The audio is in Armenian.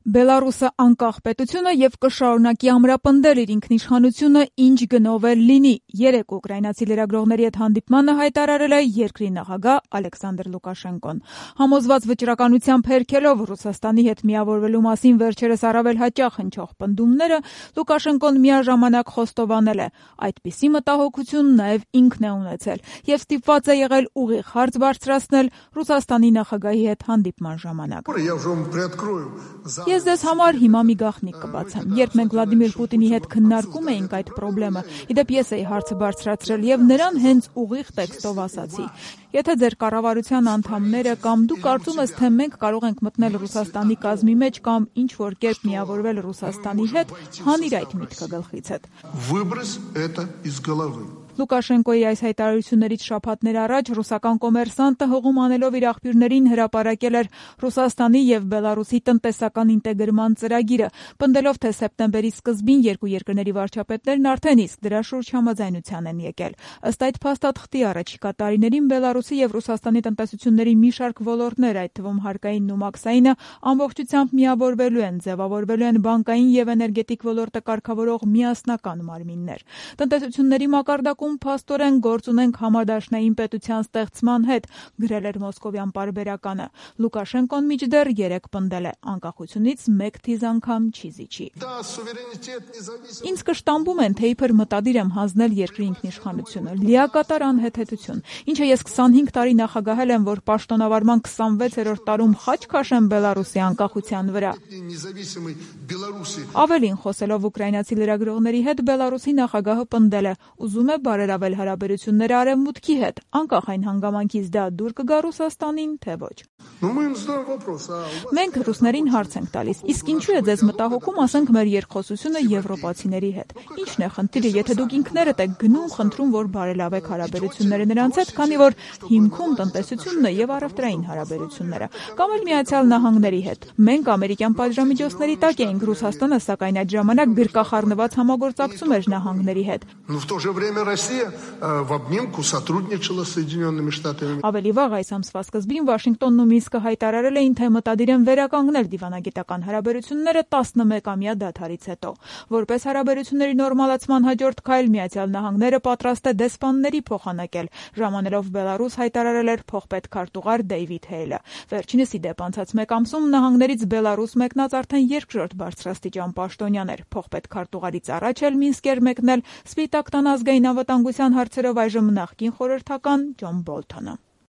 Բելարուսը անկախ պետություն է եւ կշարունակի ամրապնդել իր ինքնիշխանությունը ինչ գնով էլ լինի։ Երեկ ուկրաինացի լրագրողների հետ հանդիպմանը հայտարարել է երկրի նախագահ Ալեքսանդր Լուկաշենկոն։ Համոզված վճռականությամբ հերքելով Ռուսաստանի հետ միավորվելու մասին վերջերս առավել հաճախ հնչող պնդումները, Լուկաշենկոն միաժամանակ խոստովանել է, այդպիսի մտահոգություն նաեւ ինքն է ունեցել եւ ստիպված է եղել ուղիղ հարց բարձրացնել Ռուսաստանի նախագահի հետ հանդիպման ժամանակ։ Ես ձեզ համար հիմա մի գաղտնիք կբացեմ։ Երբ մենք Վլադիմիր Պուտինի հետ քննարկում էինք այդ խնդրը, իդեպ ես էի հարցը բարձրացրել եւ նրան հենց ուղիղ տեքստով ասացի. Եթե ձեր կառավարության անդամները կամ դու կարծում ես, թե մենք կարող ենք մտնել Ռուսաստանի կազմի մեջ կամ ինչ որ կերպ միավորվել Ռուսաստանի հետ, հանիր այդ միտքը գլխիցդ։ Լուկաշենկոյի այս հայտարարություններից շաբաթներ առաջ ռուսական կոմերսանտը հղում անելով իր աղբյուրներին հրապարակել էր Ռուսաստանի եւ Բելարուսի տնտեսական ինտեգրման ծրագիրը, պնդելով, թե սեպտեմբերի սկզբին երկու երկրների վարչապետներն արդեն իսկ դրա շուրջ համաձայնության են եկել։ Ըստ այդ փաստաթղթի առաջիկա տարիներին Բելարուսի եւ Ռուսաստանի տնտեսությունների մի շարք ոլորտներ, այդ թվում հարկայինն ու մաքսայինը, ամբողջությամբ միավորվելու են, ձևավորվելու են բանկային եւ էներգետիկ ոլորտը կարգավորող միասնական մարմիններ։ Տնտեսությունների մակարդակում փաստորեն գործ ունենք համադաշնային պետության ստեղծման հետ, գրել էր մոսկովյան պարբերականը։ Լուկաշենկոն մինչդեռ երեկ պնդել է, անկախությունից մեկ թիզ անգամ չի զիջի։ Ինձ կշտամբում են, թե իբր մտադիր եմ հանձնել երկրի ինքնիշխանությունը, լիակատար անհեթեթություն, ինչը ես 25 տարի նախագահել եմ, որ պաշտոնավարման 26-րդ տարում խաչ քաշեմ Բելարուսի անկախության վրա։ Ավելին, խոսելով ուկրաինացի լրագրողների հետ, Բելարուսի նախագահը պնդել է, ուզում է բարելավել հարաբերությունները Արևմուտքի հետ, անկախ այն հանգամանքից դա դուր կգա Ռուսաստանին, թե ոչ։ Մենք ռուսներին հարց ենք տալիս, իսկ ինչու է ձեզ մտահոգում, ասենք, մեր երկխոսությունը եվրոպացիների հետ։ Ինչն է խնդիրը, եթե դուք ինքներդ եք գնում, խնդրում, որ բարելավեք հարաբերությունները նրանց հետ, քանի որ հիմքում տնտեսությունն է եւ առևտրային հարաբերությունները, կամ էլ Միացյալ Նահանգների հետ։ Մենք ամերիկյան պատժամիջոցների տակ էինք, Ռուսաստանը սակայն այդ ժամանակ գրկախառնված համագործակցում էր նահանգների հետ։ Ավելի վաղ այս ամսվա սկզբին Վաշինգտոնն ու Մինսկը հայտարարել էին, թե մտադիր են վերականգնել դիվանագիտական հարաբերությունները 11-ամյա դադարից հետո։ Որպես հարաբերությունների նորմալացման հաջորդ քայլ Միացյալ Նահանգները պատրաստ է դեսպանների փոխանակել, ժամանելով Բելարուս հայտարարել էր փոխպետ քարտուղար Դեյվիդ Հեյլը։ Վերջինս իդեպ անցած մեկ ամսում նահանգներից Բելարուս մեկնած արդեն երկրորդ բարձրաստիճան պաշտոնյան էր։ Փոխպետ քարտուղարից առաջ էլ Մինսկ էր մեկնել Սպիտակ տան ազգային անվտանգության հարցերով այժմ նախկին խորհրդական Ջոն Բոլթոնը։